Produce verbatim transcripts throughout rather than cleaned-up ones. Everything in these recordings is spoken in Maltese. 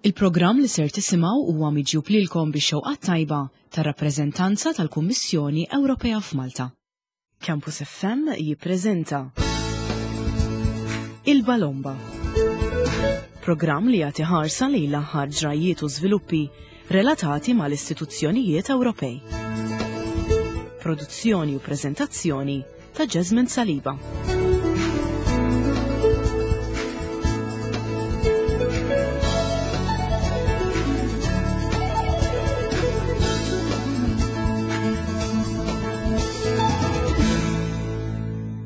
Il-programm li ser tisimgħu huwa miġjub lilkom bix-xewqa tajba tar-rappreżentanza tal-Kummissjoni Ewropea f'Malta. Campus F M jippreżenta Il-Balomba. Programm li jagħti ħarsa lejn l-aħħar ġrajiet u żviluppi relatati mal-istituzzjonijiet Ewropej. Produzzjoni u preżentazzjoni ta' Jasmine Saliba.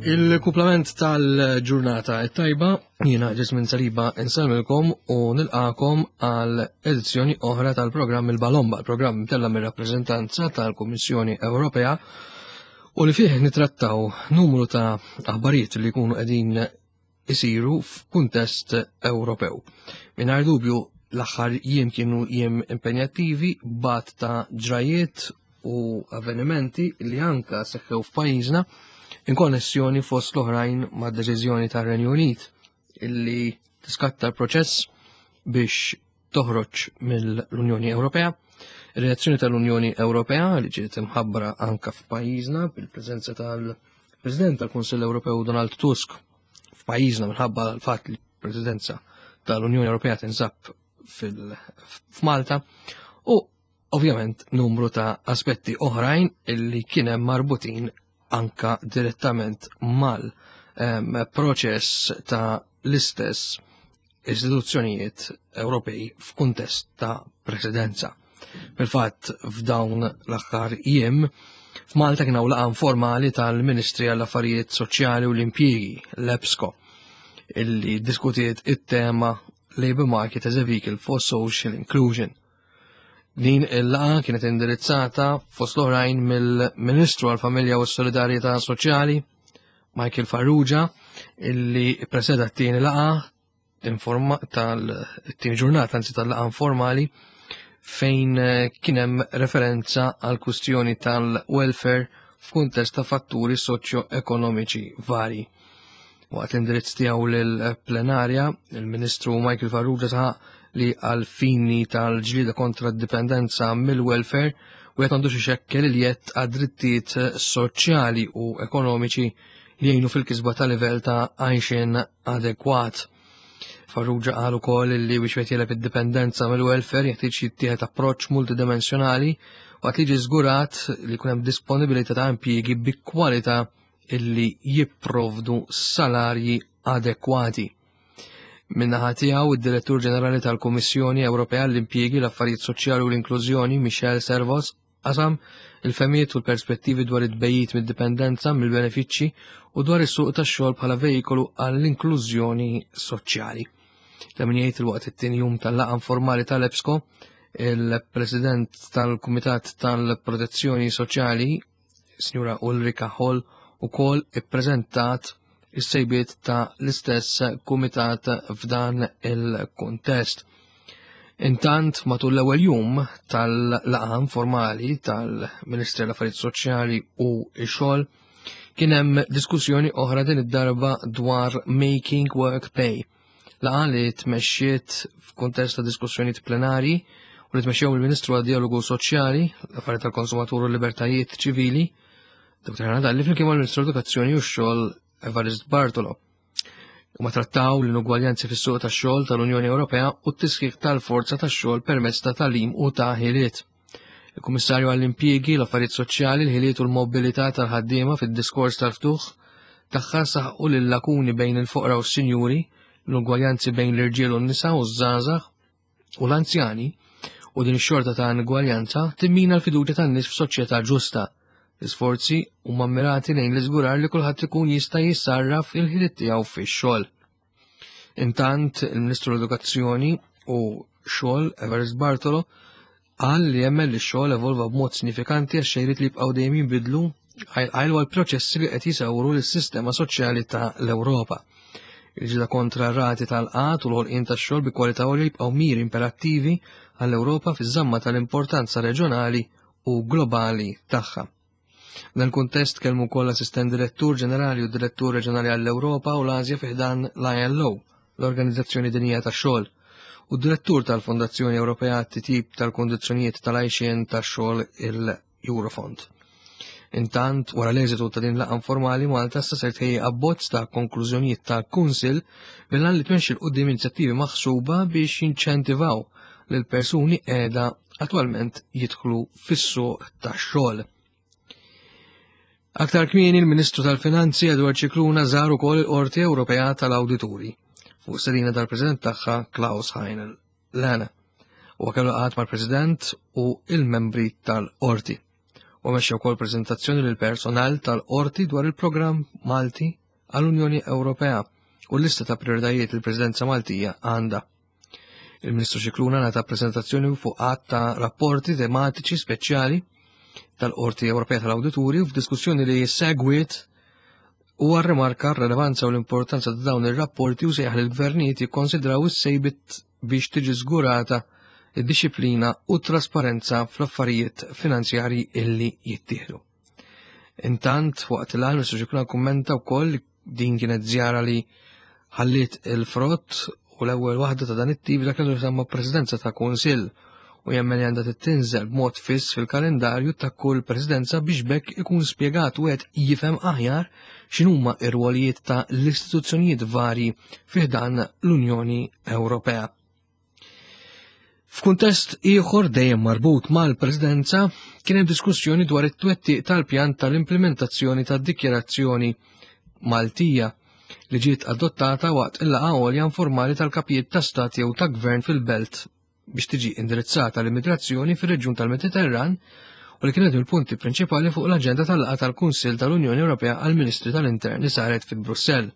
Il-kuplament tal-ġurnata tajba, jiena Jasmine Saliba insellmilkom u nilqakom għal edizzjoni oħra tal-programm Il-Balomba, il-programm tella mir-rappreżentanza tal-Kummissjoni Ewropea u li fih nitrattaw numru ta' aħbarijiet li jkunu qegħdin isiru f'kuntest Ewropew. Mingħajr dubju, l-aħħar jiem kienu jiem impenjattivi bat ta' ġrajiet u avvenimenti li anka seħħew f'pajjiżna in konnessjoni fost l-oħrajn ma' deċiżjoni tar-Renju Unit illi tiskatta l-proċess biex toħroġ mill-Unjoni Ewropea. Ir-reazzjoni tal-Unjoni Ewropea li ġiet imħabbra anka f'pajjiżna bil-preżenza tal-President tal-Kunsill Ewropew Donald Tusk f'pajjiżna minħabba l-fatt li l-Presidenza tal-Unjoni Ewropea tinsab f'Malta u ovvjament numru ta' aspetti oħrajn illi kien hemm marbutin anka direttament mal um, proċess ta' l-istess istituzzjonijiet Ewropej f'kuntest ta' presidenza. Fil-fatt, f'dawn l-aħħar jiem f'Malta kien hawn laqgħa informali tal-Ministri għall-Affarijiet Soċjali u l-Impjiegi, l-EPSCO, illi diskutiet it-tema "Labour Market as a Vehicle for Social Inclusion". Din il-laqgħa kienet indirizzata fost l-oħrajn mill-Ministru għal-Familja u s-Solidarjetà Soċjali, Michael Farrugia, illi preseda t-tieni laqgħa informa tal-tieni ġurnata, anzi tal-laqgħa informali, fejn eh, kien hemm referenza għal kwistjoni tal-welfare f'kuntest ta' fatturi soċjo-ekonomiċi vari. Waqt l-indirizz tiegħu lill-plenarja, il-Ministru Michael Farrugia saħaq li għal fini tal-ġlida kontra d-dipendenza mill-welfare u jgħat għandu xekkel li jett għad-drittijiet soċjali u ekonomiċi li jgħinu fil-kisba ta' livell ta' għajxin adekwat. Farrugia qal ukoll li biex wieħed jegħleb id-dipendenza mill-welfare jeħtieġ jittieħed approċċ multidimensjonali waqt li jiġi żgurat li jkun hemm disponibilità ta' impjiegi bi kwalità illi jipprovdu salarji adekwati. Min-naħa tiegħu, id-Direttur Ġenerali tal-Kummissjoni Ewropea l-Impjiegi, l-Affarijiet Soċjali u l-Inklużjoni, Michel Servoz, qasam il-fehmiet u l-perspettivi dwar it-tbegħid mid-dipendenza mill-benefiċċji u dwar is-suq tax-xogħol bħala vejikolu għall-inklużjoni soċjali. Ta' min jgħid il-waqt it-tieni jum tal-laqgħa informali tal-EPSCO, il-President tal-Kumitat tal-Protezzjoni Soċjali, Sinjura Ulrika Hall, ukoll ippreżentat is-sejbiet ta' l-istess kumitat f'dan il-kuntest. Intant, matul l-ewwel jum tal-laqgħa informali tal-Ministri l-Affarijiet Soċjali u x-Xogħol kien hemm diskussjoni oħra, din id-darba dwar Making Work Pay. Laqgħa li tmexxiet f'kuntest ta' diskussjonijiet plenari u li tmexxew il-Ministru għad-Dialogu Soċjali, l-Affarijiet tal-Konsumatur u l-Libertajiet Ċivili, Doktor Helena Dalli, flimkien mal-Ministru Edukazzjoni u x-Xogħol Evarist Bartolo. U ma trattaw l-inugwaljanzi fis-suq tax-xogħol tal-Unjoni Ewropea u t-tisħiħ tal-forza tax-xogħol permezz ta' tagħlim u ta' ħiliet. Il-Kummissarju għall-Impjiegi, l-Affarijiet Soċjali, l-Ħiliet u l-Mobilità tal-ħaddiema fid-diskors tal-ftuħ tagħha saħqu li l-lakuni bejn il-foqra u s-sinjuri, l-ugwaljanzi bejn l-irġiel u n-nisa u ż-żgħażagħ u l-anzjani u din ix-xorta ta' inugwaljanza timmina l-fiduċja tan-nies f'soċjetà ġusta. L-isforzi huma mmirati lejn l-iżgurar li kulħadd ikun jista' jissarraf il-ħiliet tiegħu fix-xogħol. Intant, il-Ministru l-Edukazzjoni u Xogħol Evarist Bartolo qal li jemmen li x-xogħol evolva b'mod sinifikanti għax xejriet li jibqgħu dejjem jinbidlu għajlu għal proċessi li qed jisawru lis-sistema soċjali ta' l-Ewropa. Il-ġida kontra rati tal-qgħad u l-ħolqien tax-xogħol bi kwalità għolja jibqgħu miri imperattivi għall-Ewropa fiż-żamma tal-importanza reġjonali u globali tagħha. Dan kuntest kellmu wkoll assistent direttur ġenerali u direttur reġjonali għall-Ewropa u l-Asja fi ħdan l-I L O, l-Organizzazzjoni Dinjija tax-Xogħol. u d-direttur tal-Fondazzjoni Ewropea għat-Titjib tal-Kundizzjonijiet tal-Għajxien tax-Xogħol il-Eurofond. Intant, wara l-eżitu ta' din laqgħa informali, Malta issa ser tħejji abbozz ta' konklużjonijiet tal-Kunsill bil-għan li tmexxi 'l quddiem inizjattivi maħsuba biex jinċentivaw lil persuni qiegħda attwalment jidħlu fis-suq tax-xogħol. Aktar kmieni il-Ministru tal-Finanzi Edward Scicluna żar ukoll il-Qorti Ewropea tal-Awdituri fuq stedina tal-President tagħha Klaus Heinel Lehne. Huwa kellu laqgħat mal-President u il-membri tal-Qorti. U mexxa wkoll preżentazzjoni lil personal tal-Qorti dwar il-programm Malti għall-Unjoni Ewropea u l-lista ta' prioritajiet il-Presidenza Maltija għandha. Il-Ministru Scicluna ngħata preżentazzjoni fuq għadd ta' rapporti tematiċi speċjali tal-Qorti Ewropea tal-Awdituri u f'diskussjoni li segwiet huwa rrimarka r-relevanza u l-importanza ta' dawn ir-rapporti u sejjaħ lill-gvernijiet jikkonsidraw is-sejbiet biex tiġi żgurata id-dixxiplina u t-trasparenza fl-affarijiet finanzjarji illi jittieħdu. Intant, waqt il-Ministru Scicluna kummenta wkoll din kienet żjara li ħalliet il-frott u l-ewwel waħda ta' dan it-tip dak li semma presidenza ta' Kunsill u jemmen li għandha tittinżel b'mod fiss fil-kalendarju ta' kull presidenza biex bekk ikun spjegat u qed jifhem aħjar x'inhuma r-rwolijiet ta' l-istituzzjonijiet varji fi ħdan l-Unjoni Ewropea. F'kuntest ieħor dejjem marbut mal-Presidenza kien hemm diskussjoni dwar it-twettiq tal-pjan tal-implementazzjoni tad-dikjarazzjoni Maltija li ġiet adottata waqt il-laqgħa għolja informali tal-kapijiet ta' stat jew ta' gvern fil-belt biex tiġi indirizzata l-immigrazzjoni fir-reġjun tal-Mediterran u li kienet il-punti prinċipali fuq l-aġenda tal-laqgħa tal-Kunsill tal-Unjoni Ewropea għall-Ministri tal-Intern li saret fi Brussell.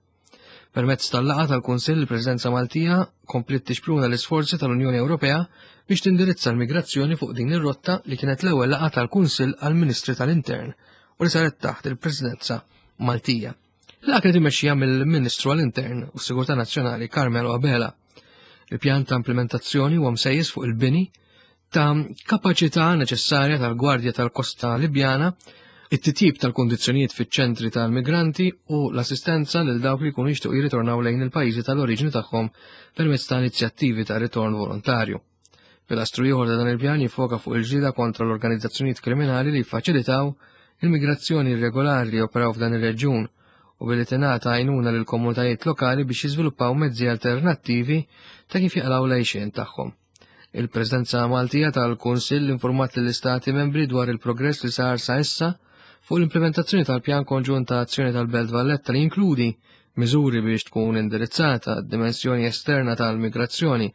Permezz tal-laqgħa tal-Kunsill, il-Presidenza Maltija kompliet tixpruna l-isforzi tal-Unjoni Ewropea biex tindirizza l-migrazzjoni fuq din ir-rotta li kienet l-ewwel laqgħa tal-Kunsill għall-Ministri tal-Intern u li saret taħt il-Presidenza Maltija. Laqgħa kienet immexxija mill-Ministru għall-Intern u s-Sigurtà Nazzjonali Carmelo Abela. Il-pjan ta' implementazzjoni huwa msejjes fuq il-bini ta' kapaċità neċessarja tal-Gwardja tal-Kosta Libjana, it-titjib tal-kondizzjonijiet fiċ-ċentri tal-migranti u l-assistenza lil dawk li jkunu jixtiequ jirritornaw lejn il-pajjiżi tal-oriġini tagħhom permezz ta' inizjattivi ta' ritorn volontarju. Pilastru ieħor ta' dan il-pjan jiffoka fuq il-ġlieda kontra l-organizzazzjonijiet kriminali li jiffaċilitaw il-migrazzjoni irregolari li joperaw f'dan ir-reġjun u billi tingħata għajnuna lil komunitajiet lokali biex jiżviluppaw mezzi alternattivi ta' kif jaqlaw l-għajxien tagħhom. Il-Presidenza Maltija tal-Kunsill informat lill-Istati membri dwar il-progress li sar sa issa fuq l-implementazzjoni tal-Pjan Konġunt ta' Azzjoni tal-Belt Valletta li jinkludi miżuri biex tkun indirizzata d-dimensjoni esterna tal-migrazzjoni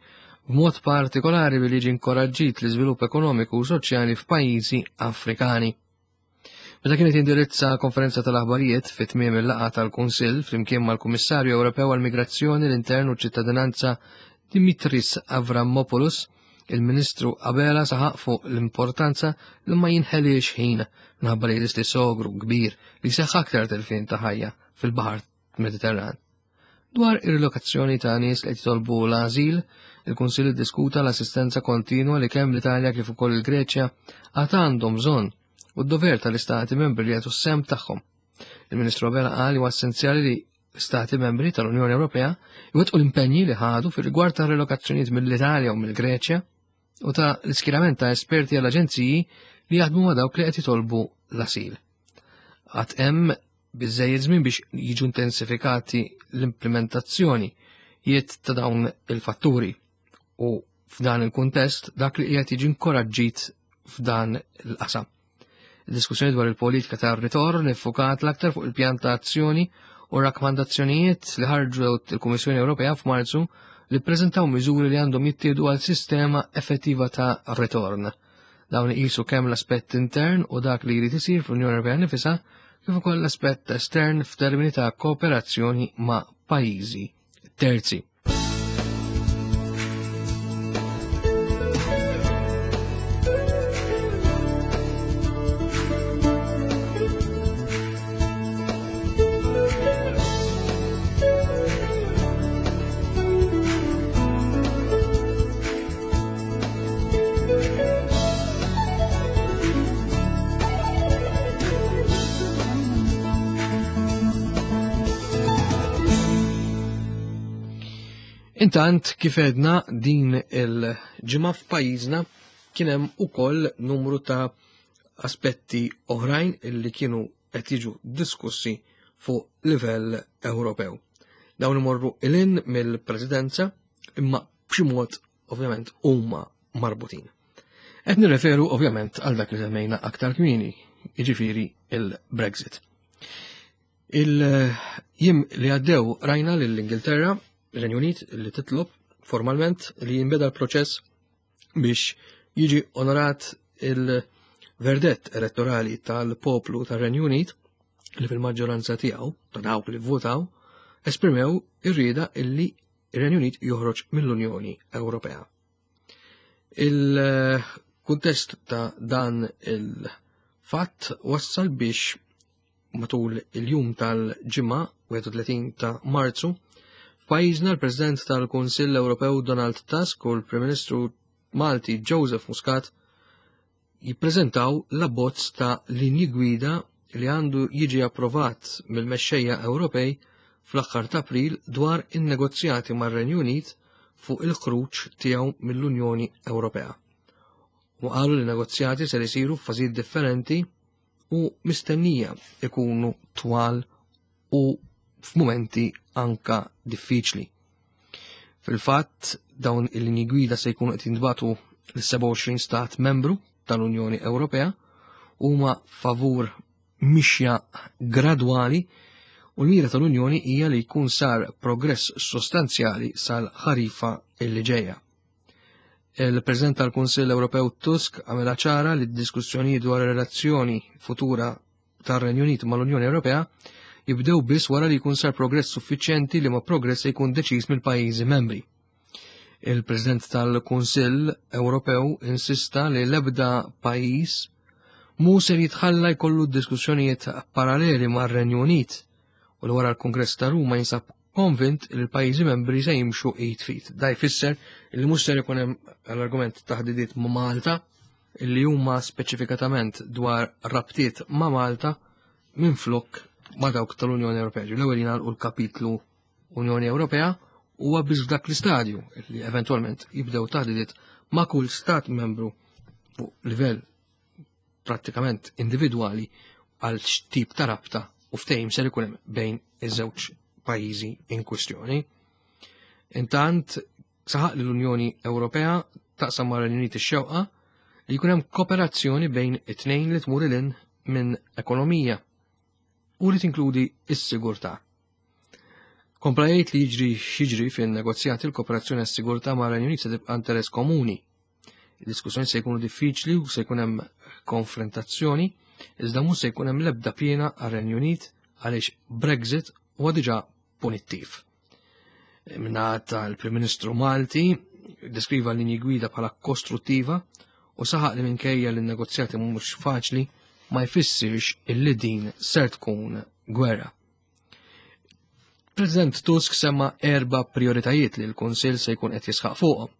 b'mod partikolari billi jiġi inkoraġġit l-iżvilupp ekonomiku u soċjali f'pajjiżi Afrikani. Meta kienet indirizza konferenza tal-aħbarijiet fi tmiem il-laqgħa tal-Kunsill flimkien mal-Kummissarju Ewropew għall-Migrazzjoni, l-Intern u ċ-Ċittadinanza Dimitris Avramopoulos, il-Ministru Abela saħaq fuq l-importanza li ma jinħeliex ħin minħabba li jeżisti sogru kbir li seħħ aktar telfien ta' ħajja fil-Baħar Mediterran. Dwar ir-rilokazzjoni ta' nies li qed jitolbu l-ażil, il-Kunsill iddiskuta l-assistenza kontinwa li kemm l-Italja kif ukoll il-Greċja għad għandhom bżonn u d-dover tal-Istati membri li jagħtu s-sehem tagħhom. Il-Ministru Abela qal li huwa essenzjali li Stati membri tal-Unjoni Ewropea jwettqu l-impenji li ħadu fir-rigward ta' relokazzjonijiet mill-Italja u mill-Greċja u ta' l-iskjerament ta' esperti għall aġenziji li jaħdmu ma' dawk li qed jitolbu l-asil. Għad hemm biżżejjed żmien biex jiġu intensifikati l-implementazzjoni jiet ta' dawn il-fatturi u f'dan il-kuntest dak li qiegħed jiġi inkoraġġit f'dan il-qasam. Il-diskussjoni dwar il-politika ta' ritorn iffukat l-aktar fuq il-pjan ta' azzjoni u rakkomandazzjonijiet li ħarġu il-Kummissjoni Ewropea f'Marzu li ppreżentaw miżuri li għandhom jittieħdu għal sistema effettiva ta' ritorn. Dawn iqisu kemm l-aspett intern u dak li jrid isir fl-Unjoni Ewropea nifisha kif ukoll l-aspett estern f'termini ta' kooperazzjoni ma' pajjiżi terzi. Intant, kif għedna, din il-ġimgħa f'pajjiżna kien hemm ukoll numru ta' aspetti oħrajn illi kienu qed jiġu diskussi fuq livell Ewropew. Dawn imorru lil hinn mill-Presidenza, imma b'xi mod ovvjament huma marbutin. Qed nirreferu ovvjament għal dak li semmejna aktar kmieni, jiġifieri il-Brexit. Il-jiem li għaddew rajna lill-Ingilterra, ir-Renju Unit, li titlob formalment li jinbeda l-proċess biex jiġi onorat il-verdett elettorali tal-poplu tar-Renju Unit li fil-maġġoranza tiegħu ta' dawk li votaw esprimew ir-rieda illi ir-Renju Unit joħroġ mill-Unjoni Ewropea. Il-kuntest ta' dan il-fatt wassal biex matul il-jum tal-Ġimgħa wieħed u tletin ta' Marzu f'pajjiżna l-President tal-Kunsill Ewropew Donald Tusk u l-Prim Ministru Malti Joseph Muscat jippreżentaw l-abbozz ta' linji gwida li għandu jiġi approvat mill-mexxejja Ewropej fl-aħħar ta' April dwar in-negozjati mar-Renju Unit fuq il-ħruġ tiegħu mill-Unjoni Ewropea. U qalu li negozjati ser isiru f'fażijiet differenti u mistennija ikunu twal u f'mumenti anka diffiċli. Fil-fatt, dawn il-linji gwida se jkunu qed jintbagħtu lis-sebgħa u għoxrin stat membru tal-Unjoni Ewropea, huma favur mixja gradwali u l-mira tal-Unjoni hija li jkun sar progress sostanzjali sal-ħarifa illi ġejja. Il-President tal-Kunsill Ewropew Tusk għamela ċara li d-diskussjonijiet dwar ir-relazzjoni futura tar-Renju Unit mal-Unjoni Ewropea jibdew biss wara li jkun sar progress suffiċjenti, li ma progress se jkun deċiż mill-pajjiżi membri. Il-President tal-Kunsill Ewropew insista li l-ebda pajjiż mu ser jitħalla jkollu diskussjonijiet paralleli mar-Renju Unit u li wara l-Kongress ta' Ruma jinsab konvint li l-pajjiżi membri se jimxu id f'id. Da jfisser li mhux ser ikun hemm l-argument taħdidiet ma' Malta li huma speċifikatament dwar rabtiet ma' Malta minn flok ma' dawk tal-Unjoni Ewropea. L-ewwel jingħalqu l-kapitlu Unjoni Ewropea, huwa biss f'dak l-istadju li eventwalment jibdew taħdidiet ma' kull stat membru fuq livell prattikament individwali għal x'tip ta' rabta u ftehim ser ikun hemm bejn iż-żewġ pajjiżi in kwistjoni. Intant saħaq li l-Unjoni Ewropea taqsam mar Uniti x-xewqa li jkun hemm kooperazzjoni bejn it-tnejn li tmur lil hinn minn ekonomija u li tinkludi s-sigurtà. Kompla jgħid li jiġri x'jiġri fin-negozjati, l-kooperazzjoni għas-sigurtà mar Renju Unit se tibqa' interess komuni. Il-diskussjoni se jkunu diffiċli u se jkun hemm konfrontazzjoni, iżda mhux se jkun hemm l-ebda piena għar-Renju Unit għaliex Brexit huwa diġà punittiv. Min-naħa tal-Prim Ministru Malti deskriva l-linji gwida bħala kostruttiva u saħaq li minkejja li n-negozjati mhux faċli ma jfissirx illi din ser tkun gwerra. President Tusk semma erba prioritajiet li l-Kunsill se jkun qed jisħaq fuqhom.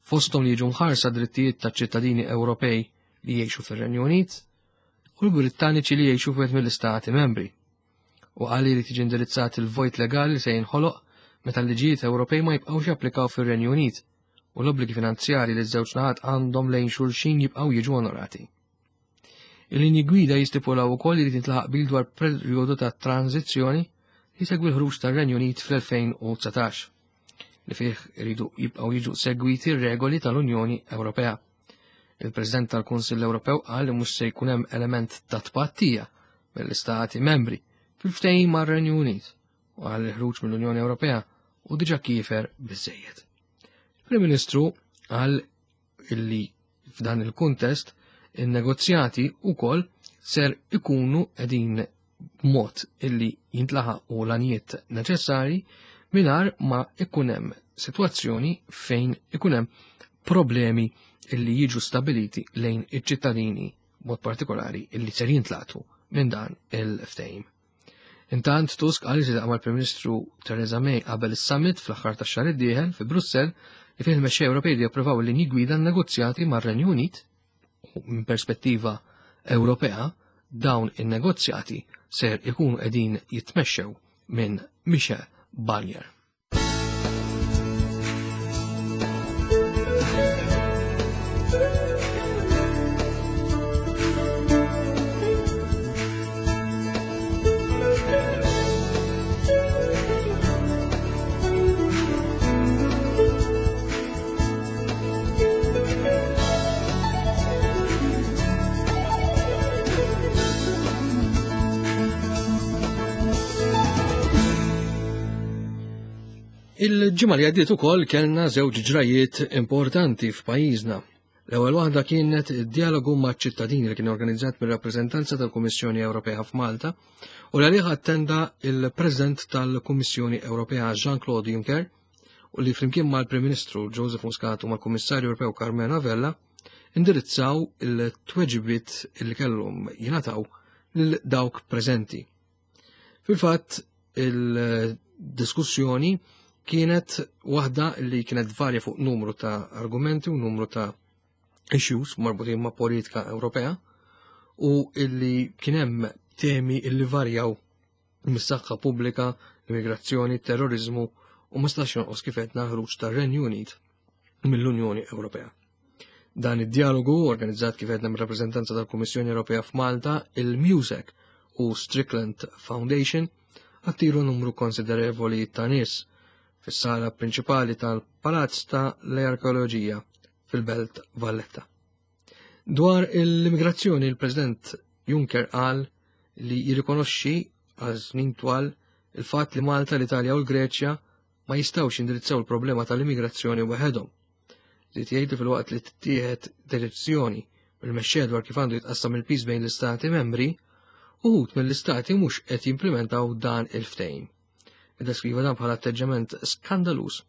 Fosthom li jiġu mħarsa drittijiet ta' ċittadini Ewropej li jgħixu fir-Renju Unit u l-Brittaniċi li jgħixu f'wieħed mill-istati membri. U qal li tiġi indirizzat il-vojt legali li se jinħoloq meta l-liġijiet Ewropej ma jibqgħux japplikaw fir-Renju Unit u l-obbligi finanzjari li ż-żewġ naħat għandhom lejn xulxin jibqgħu jiġu onorati. Il-linji gwida jistipulaw ukoll li tintlaħaq qbil dwar perjodu ta' tranzizzjoni li segwi l-ħruġ tar-Renju Unit fl-elfejn u dsatax, li fih iridu jibqgħu jiġu segwiti r-regoli tal-Unjoni Ewropea. Il-President tal-Kunsill Ewropew qal li mhux se jkun hemm element ta' tpattija mill-istati membri fil-ftehim mar-Renju Unit u qal li ħruġ mill-Unjoni Ewropea hu diġà kiefer biżejjed. Il-Prim Ministru qal illi f'dan il-kuntest il-negozjati ukoll ser ikunu qegħdin b'mod illi jintlaħaqu l-għanijiet neċessari mingħajr ma ikun hemm sitwazzjoni fejn ikun hemm problemi illi jiġu stabiliti lejn iċ-ċittadini, mod partikolari illi ser jintlaqtu minn dan il-ftehim. Intant Tusk qal li mal-Prim Ministru Theresa May qabel is-summit fl-aħħar tax-xahar id-dieħel fi Brussell li fih il-mexxej Ewropej li japprovaw l-linji gwida negozjati mar-Renju Unit, u minn perspettiva Ewropea dawn in-negozjati ser ikunu qegħdin jitmexxew minn Michel Barnier. Il-ġimgħa li għaddiet ukoll kellna żewġ ġrajiet importanti f'pajjiżna. L-ewwel waħda kienet id-dialogu maċ-ċittadini li kien organizzat mir-rappreżentanza tal-Kummissjoni Ewropea f'Malta u li għalih attenda il-President tal-Kummissjoni Ewropea Jean-Claude Juncker u li flimkien mal-Prim Ministru Joseph Muscat u mal-Kummissarju Ewropew Karmenu Vella indirizzaw il-tweġibiet li kellhom jingħataw lil dawk preżenti. Fil-fatt, il-diskussjoni kienet waħda li kienet varja fuq numru ta' argumenti u numru ta' issues marbutin ma' politika Ewropea u illi kien hemm temi illi varjaw mis-saħħa pubblika, immigrazzjoni, terrorizmu u ma stax jonqos kif għedna ħruġ tar-Renju Unit mill-Unjoni Ewropea. Dan id-dialogu organizzat kif għedna mir-rappreżentanza tal-Kummissjoni Ewropea f'Malta, il-MUSEC u Strickland Foundation attiru numru konsiderevoli ta' nies fis-sala prinċipali tal-Palazz ta' l-Arkeoloġija fil-Belt Valletta. Dwar l-immigrazzjoni, il-President Juncker qal li jirrikonoxxi għal snin twal il-fatt li Malta, l-Italja u l-Greċja ma jistgħux jindirizzaw il-problema tal-immigrazzjoni waħedhom. Żied jgħid li filwaqt li tittieħed deċiżjoni mill-mexxejja dwar kif għandu jitqassam il-piż bejn l-istati membri, uħud mill-istati mhux qed jimplementaw dan il-ftehim. Iddeskriva dan bħala atteġġament skandaluż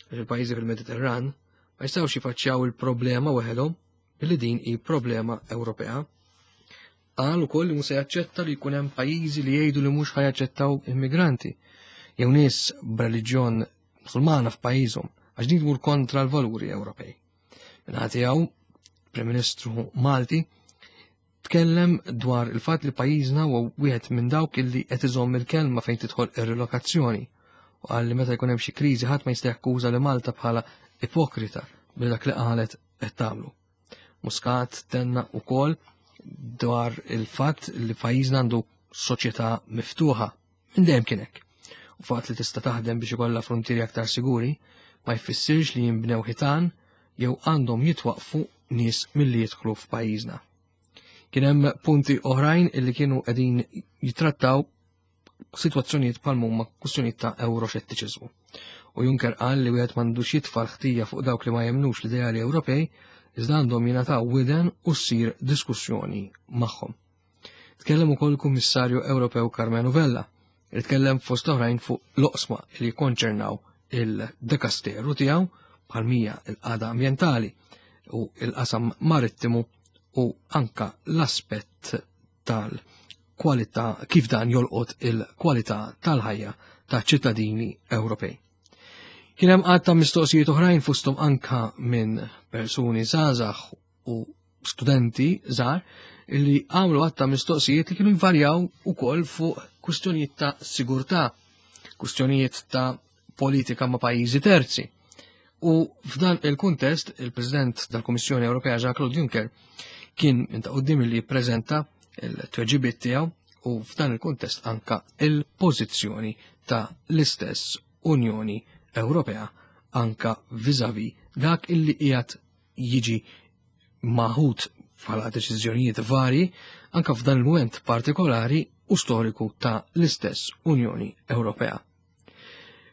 għax il-pajjiżi fil-Mediterran ma jistgħux jifaċċjaw il-problema waħedhom billi din hi problema Ewropea. Qal ukoll li mhux se jaċċetta li jkun hemm pajjiżi li jgħidu li mhux ħajaċċettaw immigranti jew nies b'reliġjon Musulmana f'pajjiżhom għax din tmur kontra l-valuri Ewropej. Min-naħa tiegħu, Prim Ministru Malti tkellem dwar il-fatt li pajjiżna huwa wieħed minn dawk illi qed iżomm il-kelma fejn tidħol ir-relokazzjoni u qal li meta jkun hemm xi kriżi ħadd ma jista' jakkuża li Malta bħala ipokrita billi dak li qalet qed tagħmlu. Muscat tenna wkoll dwar il-fatt li pajjiżna għandu soċjetà miftuħa minn dejjem kien hekk. U fatt li tista' taħdem biex ikollha frontieri aktar siguri ma jfissirx li jinbnew ħitan jew għandhom jitwaqfu nies milli jidħlu f'pajjiżna. Kien hemm punti oħrajn illi kienu qegħdin jitrattaw sitwazzjonijiet bħal huma kwistjonijiet ta' euroxettiċiżmu. U Juncker qal li wieħed m'għandux jitfa' l-ħtija fuq dawk li ma jemnux l-ideali Ewropej, iżda għandhom jingħataw widen u ssir diskussjoni magħhom. Tkellem ukoll il-Kummissarju Ewropew Karmenu Vella, li tkellem fost oħrajn fuq l-oqsma li jikkonċernaw il-dekasteru tiegħu bħal mija il-qagħda ambjentali u il-qasam marittimu u anka l-aspett tal-kwalità kif dan jolqot il-kwalità tal-ħajja ta' ċittadini Ewropej. Kien hemm għadd ta' mistoqsijiet oħrajn fosthom anka minn persuni żgħażagħ u studenti żgħar li għamlu għadd ta' mistoqsijiet li kienu jvarjaw ukoll fuq kwistjonijiet ta' sigurtà, kwistjonijiet ta' politika ma' pajjiżi terzi. U f'dan il-kuntest, il-President tal-Kummissjoni Ewropea Jean-Claude Juncker kien minn ta' quddiem li jippreżenta il-tweġibiet tiegħu u f'dan il-kuntest anka il-pożizzjoni ta' l-istess Unjoni Ewropea anka vis-à-vis dak illi qiegħed jiġi maħud bħala deċiżjonijiet varji anka f'dan il-mument partikolari u storiku ta' l-istess Unjoni Ewropea.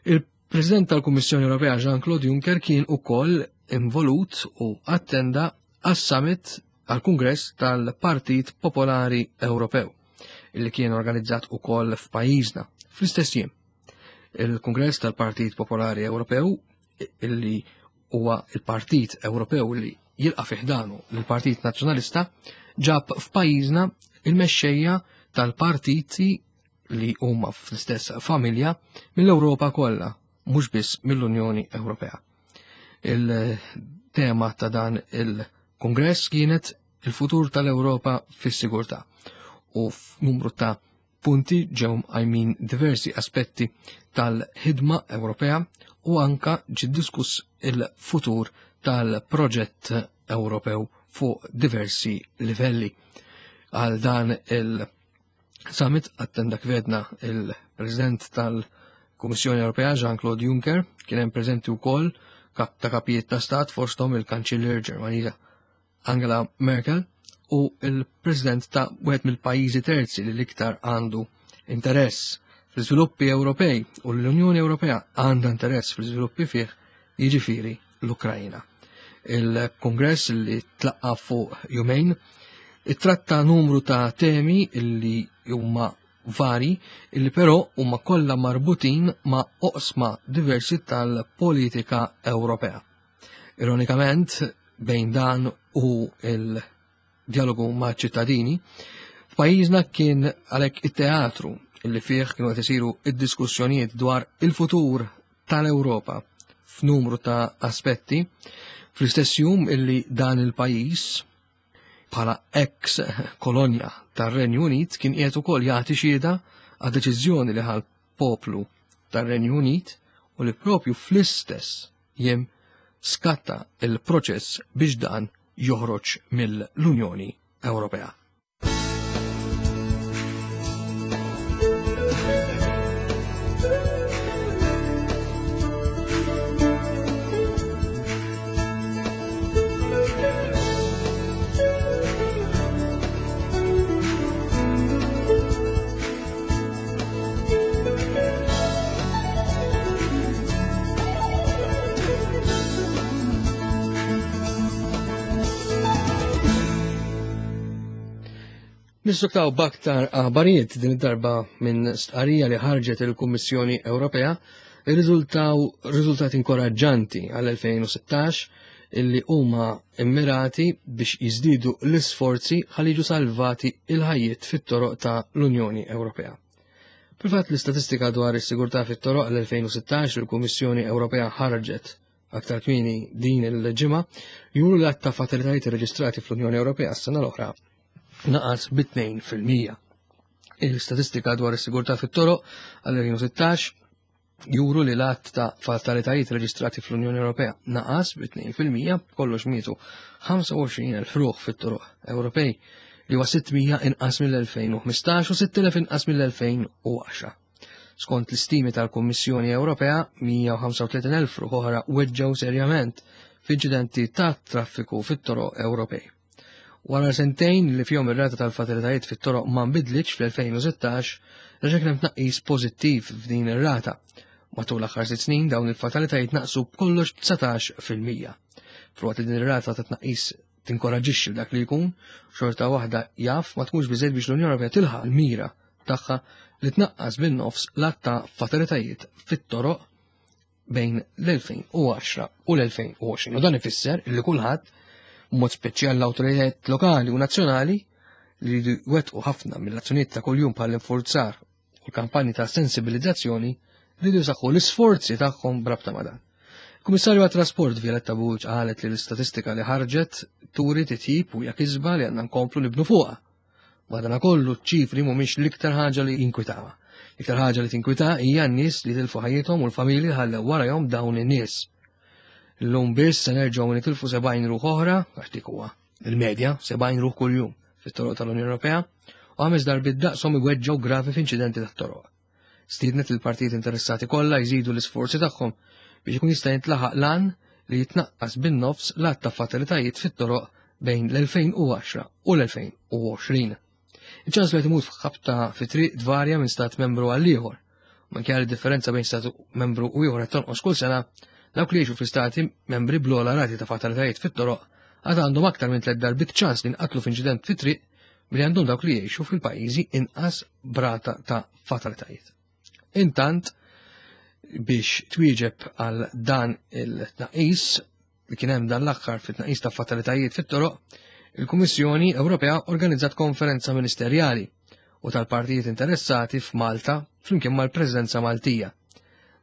Il-President tal-Kummissjoni Ewropea Jean-Claude Juncker kien ukoll involut u attenda għas-summit għal-Kungress tal-Partit Popolari Ewropew, illi kien organizzat ukoll f'pajjiżna fl-istess jiem. Il-Kungress tal-Partit Popolari Ewropew, illi huwa il-Partit Ewropew li jilqa' fi ħdanu l-Partit Nazzjonalista, ġab f'pajjiżna il-mexxejja tal-partiti li huma fl-istess familja mill-Ewropa kollha, mhux biss mill-Unjoni Ewropea. Il-tema ta' dan il-Kongress kienet il-futur tal-Ewropa fis-sigurtà u f'numru ta' punti ġew mqajmin diversi aspetti tal-ħidma Ewropea u anka ġie diskuss il-futur tal-proġett Ewropew fuq diversi livelli. Għal dan il-summit attenda kif għedna il-President tal-Kummissjoni Ewropea Jean-Claude Juncker, kien hemm preżenti wkoll kap ta' kapijiet ta' stat fosthom il-Kanċiller Ġermaniża Angela Merkel u il-President ta' wieħed mill-pajjiżi terzi li l-iktar għandu interess fl-iżviluppi Ewropej u l-Unjoni Ewropea għandha interess fl-iżviluppi fih, jiġifieri l-Ukrajna. Il-Kongress li tlaqqa fuq jumejn ittratta numru ta' temi illi huma vari, illi però huma kollha marbutin ma' oqsma diversi tal-politika Ewropea. Ironikament, bejn dan u il-dialogu ma' ċittadini, f'pajjiżna kien għalhekk it-teatru illi fih kienu qed isiru id-diskussjonijiet dwar il-futur tal-Ewropa f'numru ta' aspetti, fl-istess jum illi dan il-pajjiż bħala ex kolonja tar-Renju Unit kien qiegħed ukoll jagħti xhieda għad-deċiżjoni li ħal poplu tar-Renju Unit u li propju fl-istess jiem skatta il-proċess biex dan joħroġ mill-Unjoni Ewropea. Nissuktaw b'aktar aħbarijiet din id-darba minn stqarrija li ħarġet il-Kummissjoni Ewropea irriżultaw riżultati inkoraġġanti għal elfejn u sittax illi huma immirati biex jiżdiedu l-isforzi ħalli jiġu salvati il-ħajjiet fit-toroq ta' l-Unjoni Ewropea. Fil-fatt l-istatistika dwar is-sigurtà fit-toroq għal elfejn u sittax il-Kummissjoni Ewropea ħarġet aktar kmieni din il-ġimgħa juru l-għadd ta' fatalitajiet irreġistrati fl-Unjoni Ewropea s-sena l-oħra naqas bi tnejn fil-mija. Il-statistika dwar is-sigurtà fit-toroq għal elfejn u sittax juru li l-għadd ta' fatalitajiet reġistrati fl-Unjoni Ewropea naqas bi tnejn fil-mija, b'kollox mietu ħamsa u għoxrin elf ruħ fit-toroq Ewropej, li huwa sitt mija inqas mill-elfejn u ħmistax u sitt elef inqas mill-elfejn u għaxra. Skont l-istimi tal-Kummissjoni Ewropea, mija u ħamsa u tletin elf ruħ oħra weġġgħu serjament f'inċidenti ta' traffiku fit-toroq Ewropej. Wara sentejn li fihom ir-rata tal-fatalitajiet fit-toroq ma nbidlitx fl-elfejn u sittax, reġa' kien hemm tnaqqis pożittiv f'din ir-rata. Matul l-aħħar sitt snin dawn il-fatalitajiet naqsu b'kollox dsatax fil-mija. Filwaqt li din ir-rata ta' tnaqqis tinkoraġixxi dak li jkun, xorta waħda jaf ma tkunx biżejjed biex l-Unjoni Ewropea tilħaq l-mira tagħha li tnaqqas bin-nofs l-għadd ta' fatalitajiet fit-toroq bejn l-elfejn u għaxra u l-elfejn u għoxrin. U dan ifisser li kulħadd, b'mod speċjali l-awtoritajiet lokali u nazzjonali, li jridu jwettqu ħafna mill-azzjonijiet ta' kuljum bħall-infurzar u l-kampanji ta' sensibilizzazzjoni, jridu jsaħħu l-isforzi tagħhom b'rabta ma' dan. Il-Kummissarju għat-Trasport Violetta Bulc qalet li l-istatistika li ħarġet turi titjib u hija kisba li għandna nkomplu nibnu fuqha. Madanakollu ċ-ċifri mhumiex l-iktar ħaġa li jinkwitawha. L-iktar ħaġa li tinkwita hija n-nies li tilfu ħajjithom u l-familji li ħallew warahom dawn in-nies. Illum biss se nerġgħu nitilfu sebgħin ruħ oħra, għax dik huwa il-medja, sebgħin ruħ kuljum fit-toroq tal-Unjoni Ewropea, u ħames darbiet daqshom iweġġgħu gravi f'inċidenti tat-toroq. Stiednet il-partijiet interessati kollha jżidu l-isforzi tagħhom biex ikun jista' jintlaħaq l-għan li jitnaqqas bin-nofs l-għadd ta' fatalitajiet fit-toroq bejn l-elfejn u għaxra u l-elfejn u għoxrin. Iċ-ċans li timut f'ħabta fi triq tvarja minn stat membru għal ieħor. Minkejja li differenza bejn stat membru u ieħor qed tonqos kull sena, dawk li jgħixu fl-istati membri bl-ogħla rati ta' fatalitajiet fit-toroq għad għandhom aktar minn tliet darbiet ċans li nqatlu f'inċident fit-triq milli għandhom dawk li jgħixu fil-pajjiżi inqas brata ta' fatalitajiet. Intant, biex twieġeb għal dan il-tnaqqis li kien hemm dan l-aħħar fit-tnaqqis ta' fatalitajiet fit-toroq, il-Kummissjoni Ewropea organizzat konferenza ministerjali u tal-partijiet interessati f'Malta flimkien mal-Presidenza Maltija.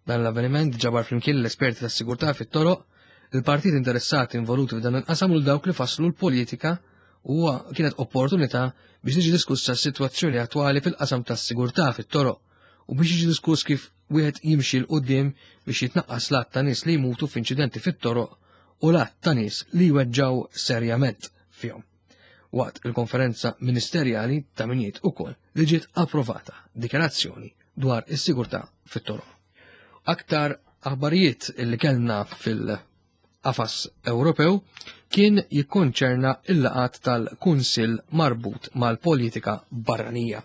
Dan l-avveniment ġabar flimkien l-esperti tas-sigurtà fit-toroq, il-partijiet interessati involuti f'dan il-qasam u dawk li fasslu l-politika, u kienet opportunità biex tiġi diskussa s-sitwazzjoni attwali fil-qasam tas-sigurtà fit-toroq u biex jiġi diskuss kif wieħed jimxi 'l quddiem biex jitnaqqas l-għadd ta' nies li jmutu f'inċidenti fit-toroq u l-għadd ta' nies li jweġġgħu serjament fihom. Waqt il-konferenza ministerjali ta' min jgħid ukoll li ġiet approvata dikjarazzjoni dwar is-sigurtà fit-toroq. Aktar aħbarijiet li kellna fil-qafas Ewropew kien jikkonċerna il-laqgħat tal-Kunsill marbut mal-politika barranija.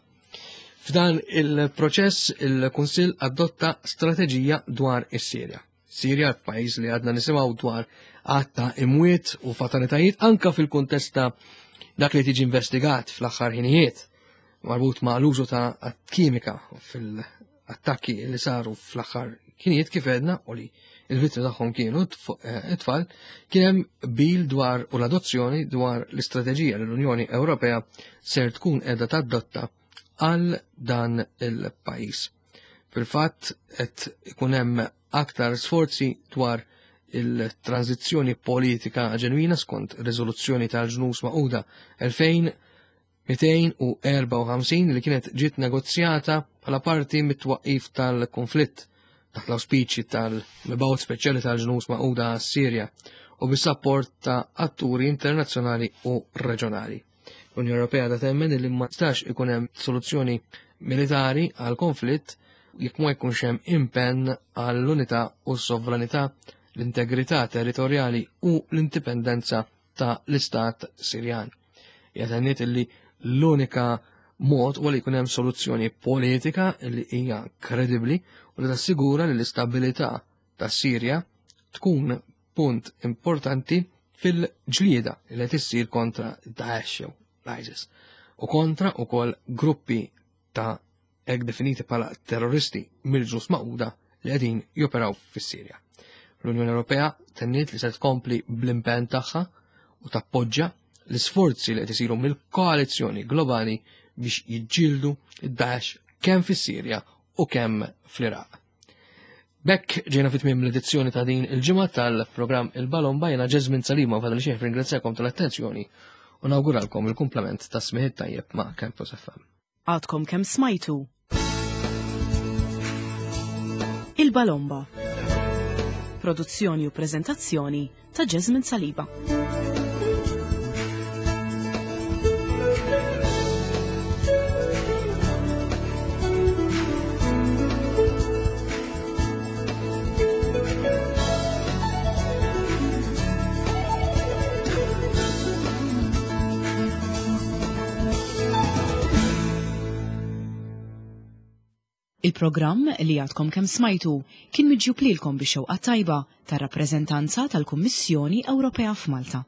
F'dan il-proċess il-Kunsill adotta strateġija dwar is-Sirja. Sirja, pajjiż li għadna nisimgħu dwar għadd ta' imwiet u fatalitajiet anka fil-kuntest ta' dak li tiġi investigat fl-aħħar ħinijiet marbut ma' l-użu ta' kimika fil-attakki li saru fl-aħħar ħinijiet kif għedna u li il-vittmi tagħhom kienu it-tfal, kien hemm qbil dwar u l-adozzjoni dwar l-istrateġija li l-Unjoni Ewropea ser tkun qiegħda tadotta għal dan il-pajjiż. Fil-fatt qed ikun hemm aktar sforzi dwar il-tranzizzjoni politika ġenwina skont riżoluzzjoni tal-Ġnus Magħquda elfejn mitejn u erbgħa u ħamsin li kienet ġiet negozjata bħala parti mit-twaqqif tal-konflitt taħt l-awspiċi tal-mibgħut speċjali tal-Ġnus Magħquda Sirja u bis-sapport ta' atturi internazzjonali u reġjonali. L-Unjoni Ewropea da temmen li ma tistax ikun hemm soluzzjoni militari għal konflitt jekk ma jkunx hemm impenn għall-unità u s-sovranità, l-integrità territorjali u l-indipendenza ta' l-Istat Sirjan. Tenniet li l-unika mod u li jkun hemm soluzzjoni politika li hija kredibbli u li tassigura li l-istabilità ta' Sirja tkun punt importanti fil-ġlieda li qed issir kontra Daesh jew l-ISIS u kontra ukoll gruppi ta' hekk definiti bħala terroristi mill-Ġnus Magħquda li qegħdin joperaw fis-Sirja. L-Unjoni Ewropea tenniet li se tkompli bl-impenn tagħha u tappoġġa l-isforzi li qed isiru mill-koalizzjoni globali biex jiġġieldu id-Daesh kemm fis-Sirja u kemm fl-Iraq. B'hekk ġejna fi tmiem l-edizzjoni ta' din il-ġimgħa tal-programm Il-Balomba. Jiena Jesmond Salima fadal xejn ringrazzjakom tal-attenzjoni u nawguralkom il-kumplament ta' smigħ tajjeb ma' Campus F M. Għadkom kemm smajtu Il-Balomba. Produzzjoni u prezentazzjoni ta' Jesmond Saliba. Il-programm li għadkom kemm smajtu kien miġjub lilkom bix-xewqa tajba tar-rappreżentanza tal-Kummissjoni Ewropea f'Malta.